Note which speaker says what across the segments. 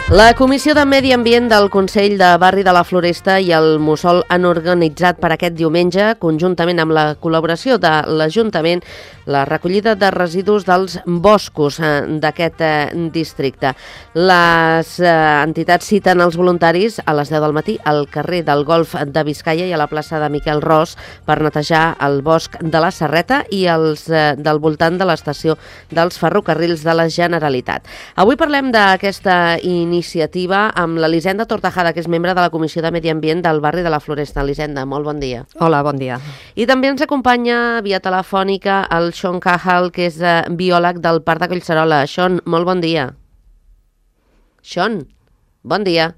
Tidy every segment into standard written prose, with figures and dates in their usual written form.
Speaker 1: La Comissió de Medi Ambient del Consell de Barri de la Floresta i el Mussol han organitzat per aquest diumenge, conjuntament amb la col·laboració de l'Ajuntament, la recollida de residus dels boscos d'aquest districte. Les entitats citen els voluntaris a les 10 del matí al carrer del Golf de Biscaia i a la plaça de Miquel Ros per netejar el bosc de la Serreta i els del voltant de l'estació dels ferrocarrils de la Generalitat. Avui parlem d'aquesta iniciativa amb l'Elisenda Tortajada, que és membre de la Comissió de Medi Ambient del barri de la Floresta. Elisenda, molt bon dia.
Speaker 2: Hola, bon dia.
Speaker 1: I també ens acompanya via telefònica el Sean Cahal, que és biòleg del Parc de Collserola. Sean, molt bon dia. Sean, bon dia.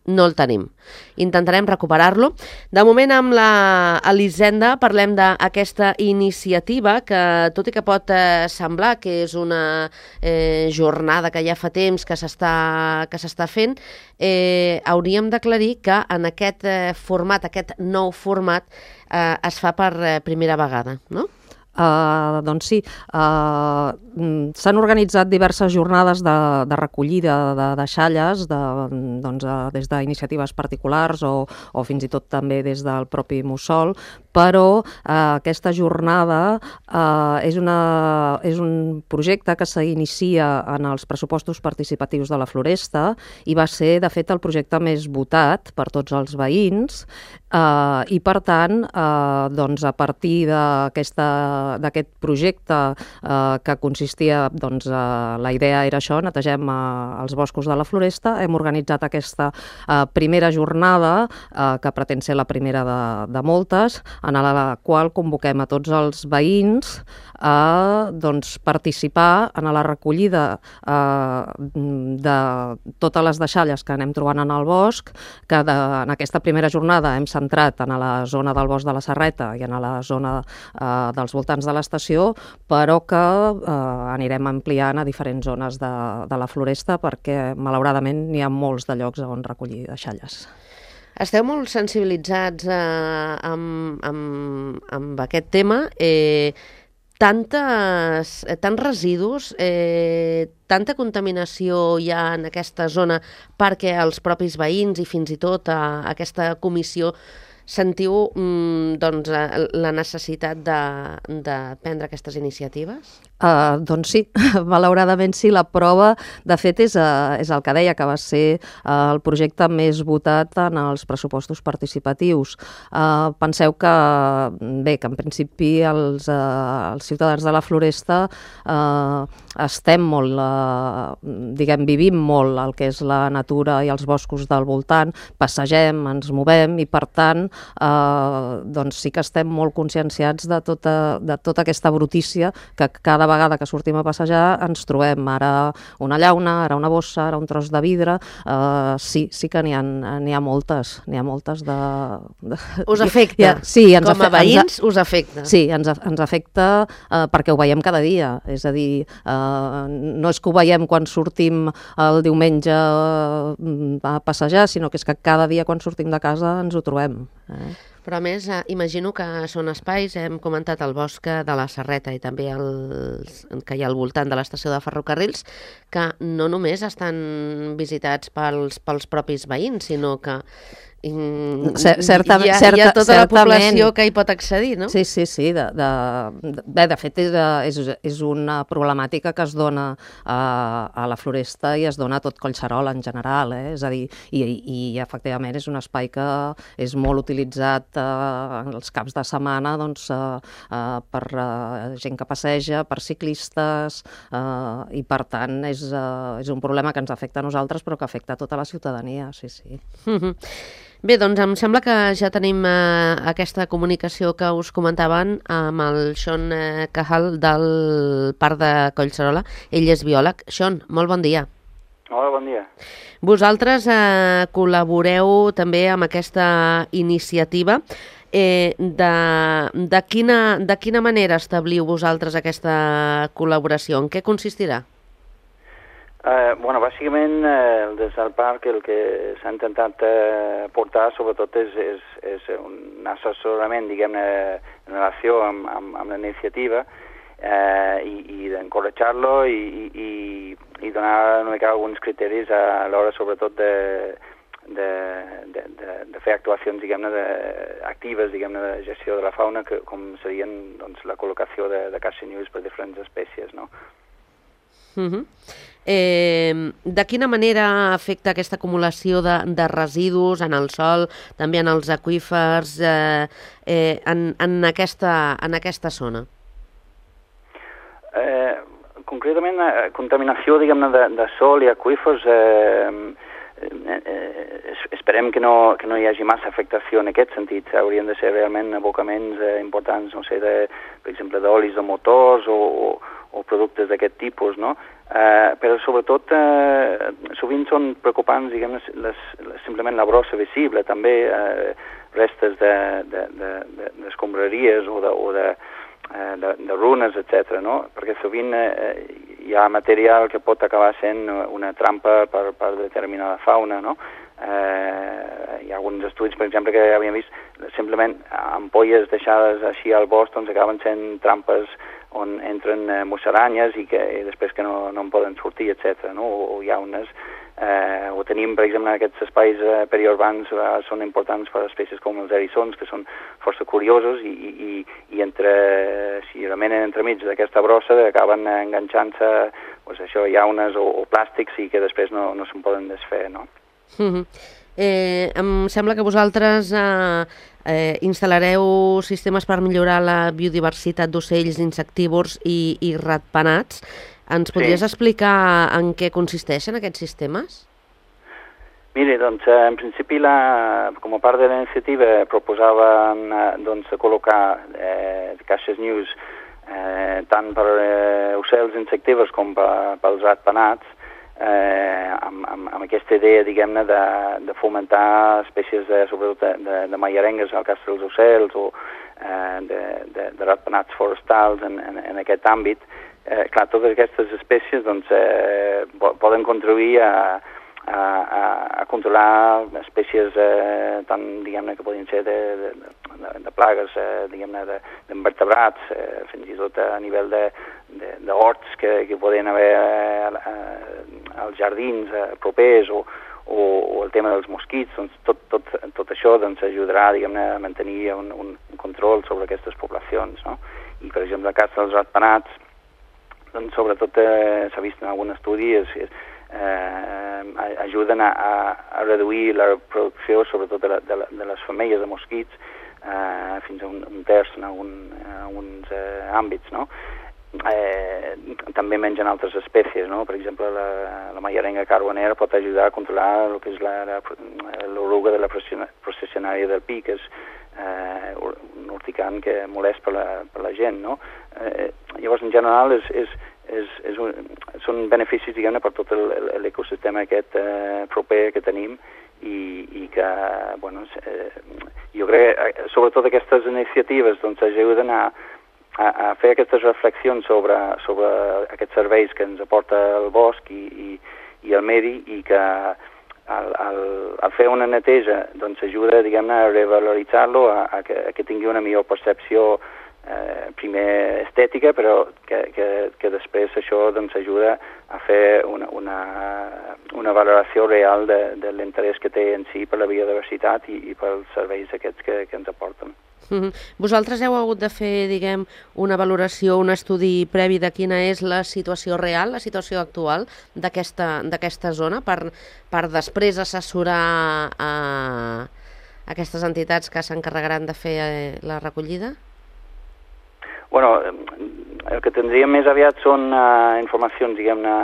Speaker 1: No el tenim. Intentarem recuperar-lo. De moment, amb l'Elisenda parlem d'aquesta iniciativa que, tot i que pot semblar que és una jornada que ja fa temps que s'està fent, hauríem d'aclarir que en aquest format, aquest nou format, es fa per primera vegada, no?
Speaker 2: Doncs sí, s'han organitzat diverses jornades de recollida de deixalles des d'iniciatives particulars o fins i tot també des del propi Mussol, però aquesta jornada és un projecte que s'inicia en els pressupostos participatius de la Floresta i va ser, de fet, el projecte més votat per tots els veïns i, per tant, a partir d'aquest projecte que consistia, la idea era això, netegem els boscos de la Floresta, hem organitzat aquesta primera jornada, que pretén ser la primera de moltes, en la qual convoquem a tots els veïns a participar en la recollida de totes les deixalles que anem trobant en el bosc, que en aquesta primera jornada hem centrat en la zona del bosc de la Serreta i en la zona dels voltants de l'estació, però que anirem ampliant a diferents zones de la Floresta perquè, malauradament, n'hi ha molts de llocs on recollir deixalles.
Speaker 1: Esteu molt sensibilitzats amb aquest tema. Tants residus, tanta contaminació hi ha en aquesta zona perquè els propis veïns i fins i tot aquesta comissió sentiu la necessitat de prendre aquestes iniciatives?
Speaker 2: Doncs sí, malauradament sí. La prova, de fet, és el que deia, que va ser el projecte més votat en els pressupostos participatius. Penseu que en principi els ciutadans de la Floresta estem molt, vivim molt el que és la natura i els boscos del voltant, passegem, ens movem i, per tant, sí que estem molt conscienciats de tota aquesta brutícia que cada vegada que sortim a passejar ens trobem, ara una llauna, ara una bossa, ara un tros de vidre. Sí que n'hi ha moltes de...
Speaker 1: Us afecta?
Speaker 2: Sí,
Speaker 1: com a veïns us afecta?
Speaker 2: Sí, ens afecta perquè ho veiem cada dia, és a dir, no és que ho veiem quan sortim el diumenge a passejar, sinó que és que cada dia quan sortim de casa ens ho trobem.
Speaker 1: Però a més, imagino que són espais, hem comentat el bosc de la Serreta i també que hi ha al voltant de l'estació de ferrocarrils, que no només estan visitats pels propis veïns, sinó que hi ha tota la població que hi pot accedir, no?
Speaker 2: Sí. De fet, és una problemàtica que es dona a la Floresta i es dona a tot Collserola en general, és a dir, i efectivament és un espai que és molt utilitzat els caps de setmana per gent que passeja, per ciclistes, i per tant és un problema que ens afecta a nosaltres però que afecta a tota la ciutadania, sí.
Speaker 1: Bé, doncs em sembla que ja tenim aquesta comunicació que us comentaven amb el Sean Cahal del Parc de Collserola. Ell és biòleg. Sean, molt bon dia.
Speaker 3: Hola, bon dia.
Speaker 1: Vosaltres col·laboreu també amb aquesta iniciativa. De quina manera establiu vosaltres aquesta col·laboració? En què consistirà?
Speaker 3: Bàsicament, des del parc el que s'ha intentat portar sobretot és un assessorament, diguem-ne, en relació amb la iniciativa i d'encoratjar-lo i i donar una mica alguns criteris a l'hora sobretot de fer actuacions, diguem-ne, actives, diguem-ne, de gestió de la fauna, com serien doncs, la col·locació de caixanyuls per diferents espècies, no?
Speaker 1: De quina manera afecta aquesta acumulació de residus en el sòl, també en els aqüífers, en aquesta zona?
Speaker 3: Concretament, contaminació, diguem-ne, de sòl i aqüífers, esperem que no hi hagi massa afectació en aquest sentit. Haurien de ser realment abocaments importants, no sé, per exemple, d'olis de motors o productes d'aquest tipus, no? Però sobretot sovint són preocupants, diguem, simplement la brossa visible, també restes d'escombraries o de runes, etc., no? Perquè sovint hi ha material que pot acabar sent una trampa per determinada fauna, no? Hi ha alguns estudis, per exemple, que havíem vist simplement ampolles deixades així al bosc, doncs acaben sent trampes on entren musaranyes i després que no en poden sortir, etc., no? O llaunes. O tenim, per exemple, aquests espais periurbans són importants per espècies com els eriçons, que són força curiosos i si remenen entremig d'aquesta brossa acaben enganxant-se llaunes o plàstics i que després no se'n poden desfer, no?
Speaker 1: Em sembla que vosaltres instal·lareu sistemes per millorar la biodiversitat d'ocells insectívors i ratpenats. Ens podries explicar en què consisteixen aquests sistemes?
Speaker 3: Miri, doncs, en principi, com a part de la iniciativa, proposàvem col·locar caixes NIUS tant per ocells insectívors com pels ratpenats, amb aquesta idea, diguem-ne, de fomentar espècies, sobretot de maiarengues, al cas dels ocells, o de ratpenats forestals en aquest àmbit. Clar, totes aquestes espècies doncs, poden contribuir a controlar espècies tant, diguem-ne, que podien ser de plagues, diguem-ne, d'invertebrats, fins i tot a nivell d'horts que podien haver als jardins propers, o el tema dels mosquits. Doncs tot això doncs, ajudarà, diguem-ne, a mantenir un control sobre aquestes poblacions, no? I, per exemple, el cas dels ratpenats, doncs, sobretot s'ha vist en algun estudi, ajuden a reduir la reproducció, sobretot de les femelles de mosquits, fins a un terç en alguns àmbits, no? També mengen altres espècies, no? Per exemple, la maiarenga carbonera pot ajudar a controlar el que és l'oruga de la processionària del pi, que és un urticant que molest per la gent, no? Llavors, en general, són beneficis, diguem-ne, per tot l'ecosistema aquest proper que tenim i que, bueno, jo crec que sobretot aquestes iniciatives doncs ajuden a fer aquestes reflexions sobre aquests serveis que ens aporta el bosc i el medi, i que al fer una neteja doncs ajuda, diguem-ne, a revaloritzar-lo, a que tingui una millor percepció primer estètica, però que després això doncs ajuda a fer una valoració real de l'interès que té en si per la biodiversitat i pels serveis aquests que ens aporten.
Speaker 1: Vosaltres heu hagut de fer, diguem, una valoració, un estudi previ de quina és la situació real, la situació actual d'aquesta zona, per després assessorar a aquestes entitats que s'encarregaran de fer la recollida?
Speaker 3: Bueno, el que tindríem més aviat són informacions, diguem-ne,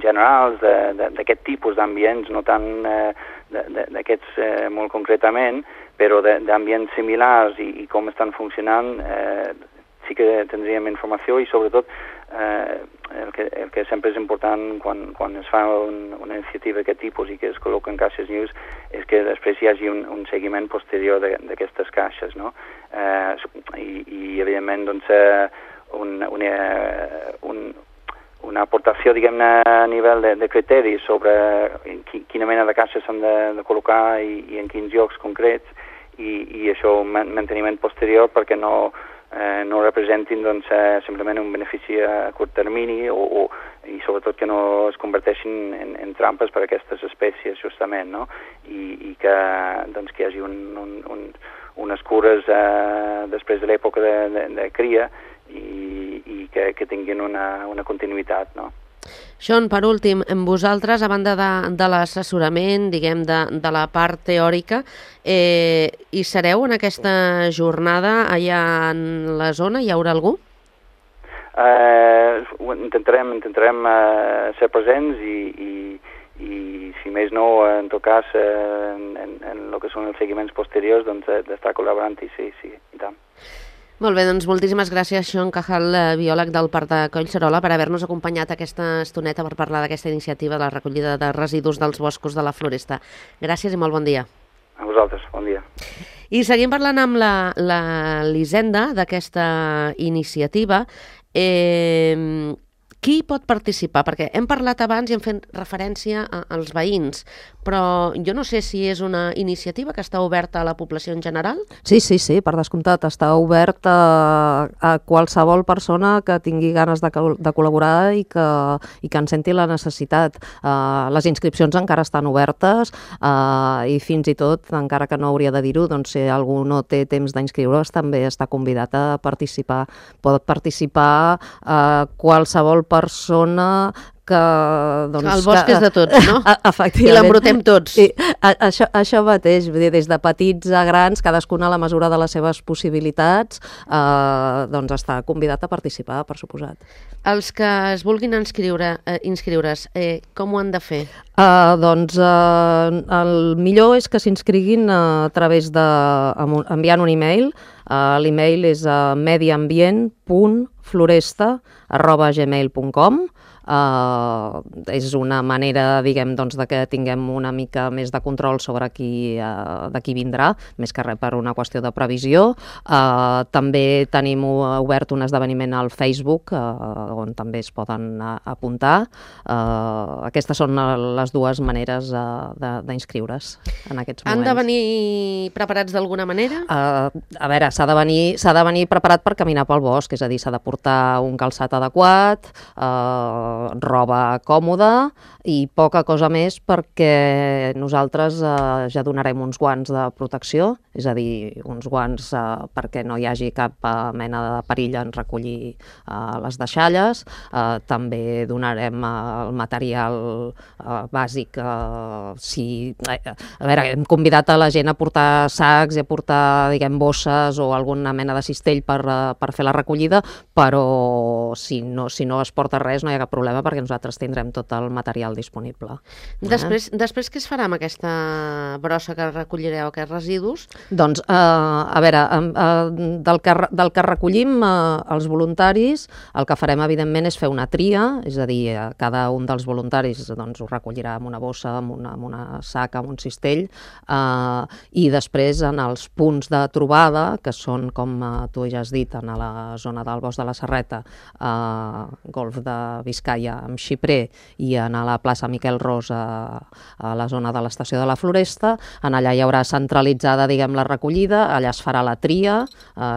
Speaker 3: generals d'aquest tipus d'ambients, no tant d'aquests molt concretament, però d'ambients similars i com estan funcionant, sí que tindríem informació, i sobretot el que sempre és important quan es fa una iniciativa d'aquest tipus i que es col·loquen caixes NIUS és que després hi hagi un seguiment posterior d'aquestes caixes, no? I evidentment, doncs, una aportació, diguem-ne, a nivell de criteris sobre quina mena de caixes s'han de col·locar i en quins llocs concrets, i això, un manteniment posterior perquè no no representin simplement un benefici a curt termini i sobretot que no es converteixin en trampes per a aquestes espècies justament, no? I que hi hagi unes cures després de l'època de cria i que tinguin una continuïtat, no?
Speaker 1: Sean, per últim, vosaltres, a banda de l'assessorament, diguem, de la part teòrica, hi sereu en aquesta jornada allà en la zona? Hi haurà algú?
Speaker 3: Intentarem ser presents i si més no, en tot cas, en el que són els seguiments posteriors, d'estar col·laborant, i sí, i tant.
Speaker 1: Molt bé, doncs moltíssimes gràcies, Sean Cajal, biòleg del Parc de Collserola, per haver-nos acompanyat aquesta estoneta per parlar d'aquesta iniciativa de la recollida de residus dels boscos de la Floresta. Gràcies i molt bon dia.
Speaker 3: A vosaltres, bon dia.
Speaker 1: I seguim parlant amb l'Hisenda d'aquesta iniciativa. Qui pot participar? Perquè hem parlat abans i hem fet referència als veïns, però jo no sé si és una iniciativa que està oberta a la població en general.
Speaker 2: Sí, per descomptat, està obert a qualsevol persona que tingui ganes de col·laborar i que en senti la necessitat. Les inscripcions encara estan obertes i fins i tot, encara que no hauria de dir-ho, doncs si algú no té temps d'inscriure's també està convidat a participar. Pot participar qualsevol persona que...
Speaker 1: El bosc és de tots, no?
Speaker 2: Efectivament.
Speaker 1: I l'embrutem tots.
Speaker 2: Sí, això mateix, vull dir, des de petits a grans, cadascuna a la mesura de les seves possibilitats, doncs està convidat a participar, per suposat.
Speaker 1: Els que es vulguin inscriure's, com ho han de fer?
Speaker 2: Doncs el millor és que s'inscriguin a través enviant un e-mail. L'e-mail és mediambient.floresta@gmail.com. És una manera, diguem, doncs, de que tinguem una mica més de control sobre de qui vindrà, més que res per una qüestió de previsió. També tenim obert un esdeveniment al Facebook on també es poden apuntar. Aquestes són les dues maneres d'inscriure's en aquests moments.
Speaker 1: Han de venir preparats d'alguna manera?
Speaker 2: A veure, s'ha de venir preparat per caminar pel bosc, és a dir, s'ha de portar un calçat adequat, roba còmoda i poca cosa més, perquè nosaltres ja donarem uns guants de protecció, és a dir, uns guants perquè no hi hagi cap mena de perill en recollir les deixalles. També donarem el material bàsic. A veure, hem convidat a la gent a portar sacs i a portar, diguem, bosses o alguna mena de cistell per fer la recollida, però si no es porta res no hi ha cap problema, perquè nosaltres tindrem tot el material disponible.
Speaker 1: Després què es farà amb aquesta brossa que recollireu, aquests residus?
Speaker 2: Doncs, a veure, del que recollim els voluntaris, el que farem, evidentment, és fer una tria, és a dir, cada un dels voluntaris doncs, ho recollirà amb una bossa, amb una saca, amb un cistell, i després en els punts de trobada, que són, com tu ja has dit, en la zona del Bosc de la Serreta, Golf de Biscaia amb Xiprer, i a la plaça Miquel Ros a la zona de l'estació de la Floresta. En allà hi haurà centralitzada, diguem, la recollida, allà es farà la tria,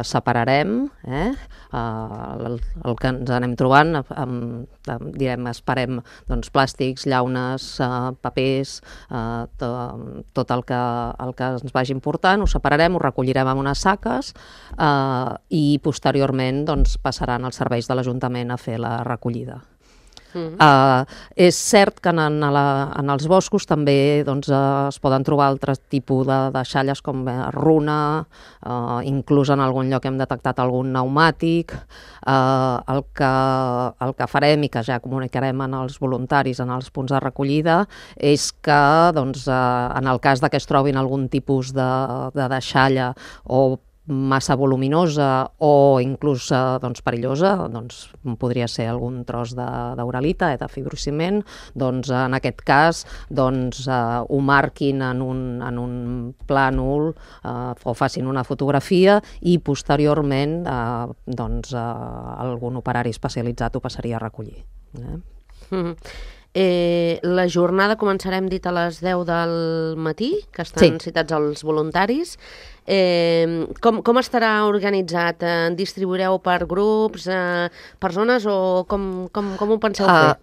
Speaker 2: separarem el que ens anem trobant, esperem doncs, plàstics, llaunes, papers, tot el que ens vagi important, ho separarem, ho recollirem en unes saques i posteriorment doncs, passaran els serveis de l'Ajuntament a fer la recollida. És cert que en els boscos també doncs, es poden trobar altres tipus de deixalles com runa, inclús en algun lloc hem detectat algun pneumàtic. El que farem i que ja comunicarem als voluntaris en els punts de recollida és que doncs, en el cas que es trobin algun tipus de deixalla o massa voluminosa o inclús doncs, perillosa, doncs, podria ser algun tros d'uralita, de fibrociment, doncs, en aquest cas doncs, ho marquin en un plànol o facin una fotografia i posteriorment doncs, algun operari especialitzat ho passaria a recollir.
Speaker 1: La jornada començarem dit a les 10 del matí, que estan citats els voluntaris. Com estarà organitzat? Distribuireu per grups, per zones, o com ho penseu fer?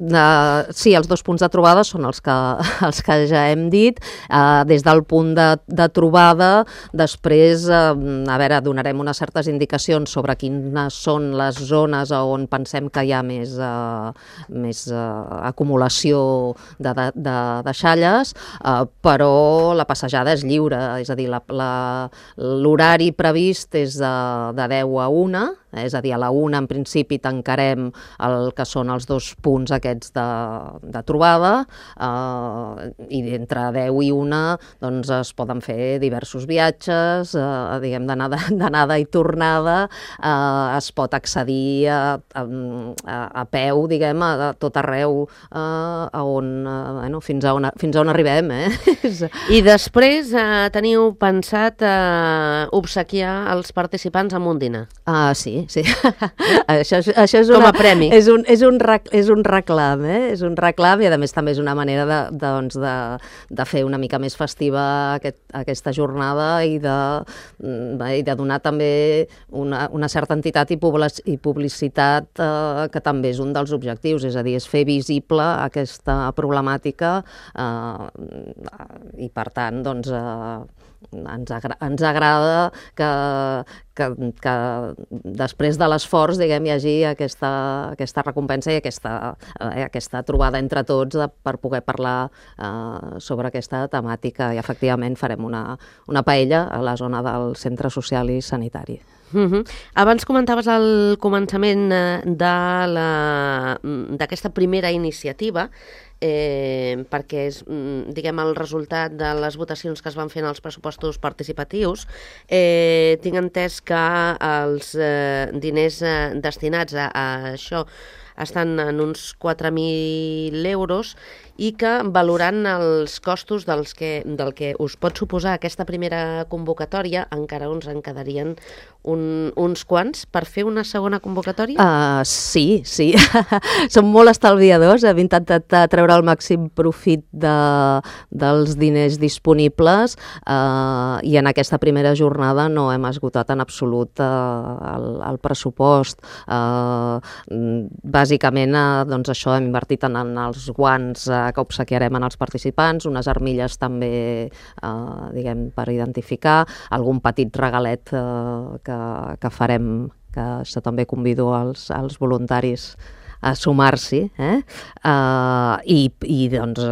Speaker 2: Sí, els 2 punts de trobada són els que ja hem dit. Des del punt de trobada, després, donarem unes certes indicacions sobre quines són les zones on pensem que hi ha més acumulació de xalles, però la passejada és lliure, és a dir, l'horari previst és de 10 a 1, és a dir, a la 1 en principi tancarem el que són els 2 punts aquests de trobada, i entre 10 i 1 doncs es poden fer diversos viatges, diguem, d'anada i tornada, es pot accedir a peu, diguem, a tot arreu, fins a on arribem.
Speaker 1: I després teniu pensat obsequiar els participants amb un dinar?
Speaker 2: Sí. Això és
Speaker 1: com a premi.
Speaker 2: És un reclam, és un reclam, i a més també és una manera de fer una mica més festiva aquesta jornada i de donar també una certa entitat i publicitat, que també és un dels objectius, és a dir, és fer visible aquesta problemàtica, i per tant doncs ens agrada que després de l'esforç, diguem, hi hagi aquesta recompensa i aquesta trobada entre tots per poder parlar sobre aquesta temàtica, i efectivament farem una paella a la zona del centre social i sanitari.
Speaker 1: Abans comentaves al començament d'aquesta primera iniciativa, perquè és, diguem, el resultat de les votacions que es van fer en els pressupostos participatius. Tinc entès que els diners destinats a això estan en uns 4.000 euros, i que, valorant els costos del que us pot suposar aquesta primera convocatòria, encara ens en quedarien uns quants per fer una segona convocatòria?
Speaker 2: Sí. Som molt estalviadors, hem intentat treure el màxim profit dels diners disponibles, i en aquesta primera jornada no hem esgotat en absolut el pressupost. Bàsicament, doncs això, hem invertit en els guants que obsequiarem en els participants, unes armilles també, diguem, per identificar, algun petit regalet que farem, que això també convido als voluntaris a sumar-s'hi, i doncs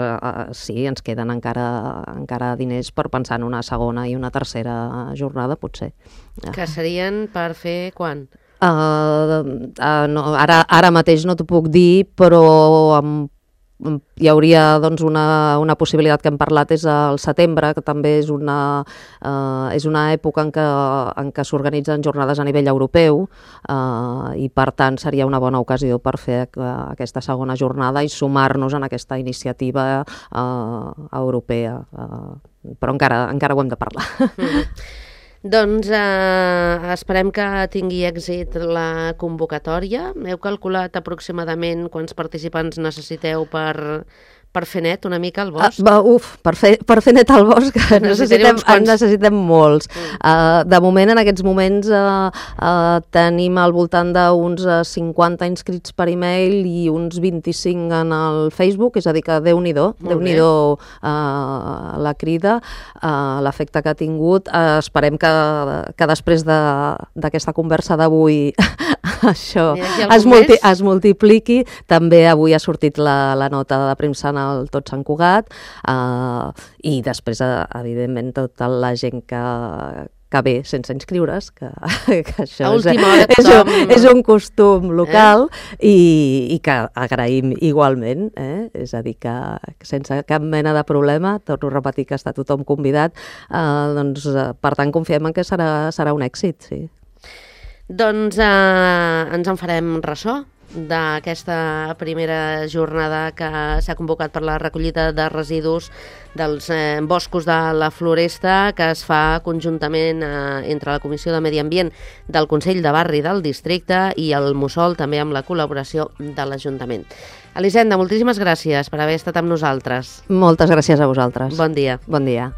Speaker 2: sí, ens queden encara diners per pensar en una segona i una tercera jornada, potser.
Speaker 1: Que serien per fer quan?
Speaker 2: No, ara mateix no t'ho puc dir, però hi hauria doncs una possibilitat que hem parlat, és el setembre, que també és una època en què s'organitzen jornades a nivell europeu, i per tant seria una bona ocasió per fer aquesta segona jornada i sumar-nos en aquesta iniciativa europea, però encara ho hem de parlar.
Speaker 1: Doncs esperem que tingui èxit la convocatòria. Heu calculat aproximadament quants participants necessiteu per fer net una mica el bosc?
Speaker 2: Per fer net el bosc necessitem molts. De moment, en aquests moments, tenim al voltant d'uns 50 inscrits per e-mail i uns 25 en el Facebook, és a dir que Déu-n'hi-do la crida, l'efecte que ha tingut. Esperem que després d'aquesta conversa d'avui això es multipliqui. També avui ha sortit la nota de premsa en el Tot Sant Cugat, i després, evidentment, tota la gent que ve sense inscriure's, que això és un costum local, i que agraïm igualment, és a dir, que sense cap mena de problema, torno a repetir que està tothom convidat, doncs per tant confiem en que serà un èxit, sí.
Speaker 1: Doncs ens en farem ressò d'aquesta primera jornada que s'ha convocat per la recollida de residus dels boscos de la Floresta, que es fa conjuntament entre la Comissió de Medi Ambient del Consell de Barri del Districte i el Mussol, també amb la col·laboració de l'Ajuntament. Elisenda, moltíssimes gràcies per haver estat amb nosaltres.
Speaker 2: Moltes gràcies a vosaltres.
Speaker 1: Bon dia.
Speaker 2: Bon dia.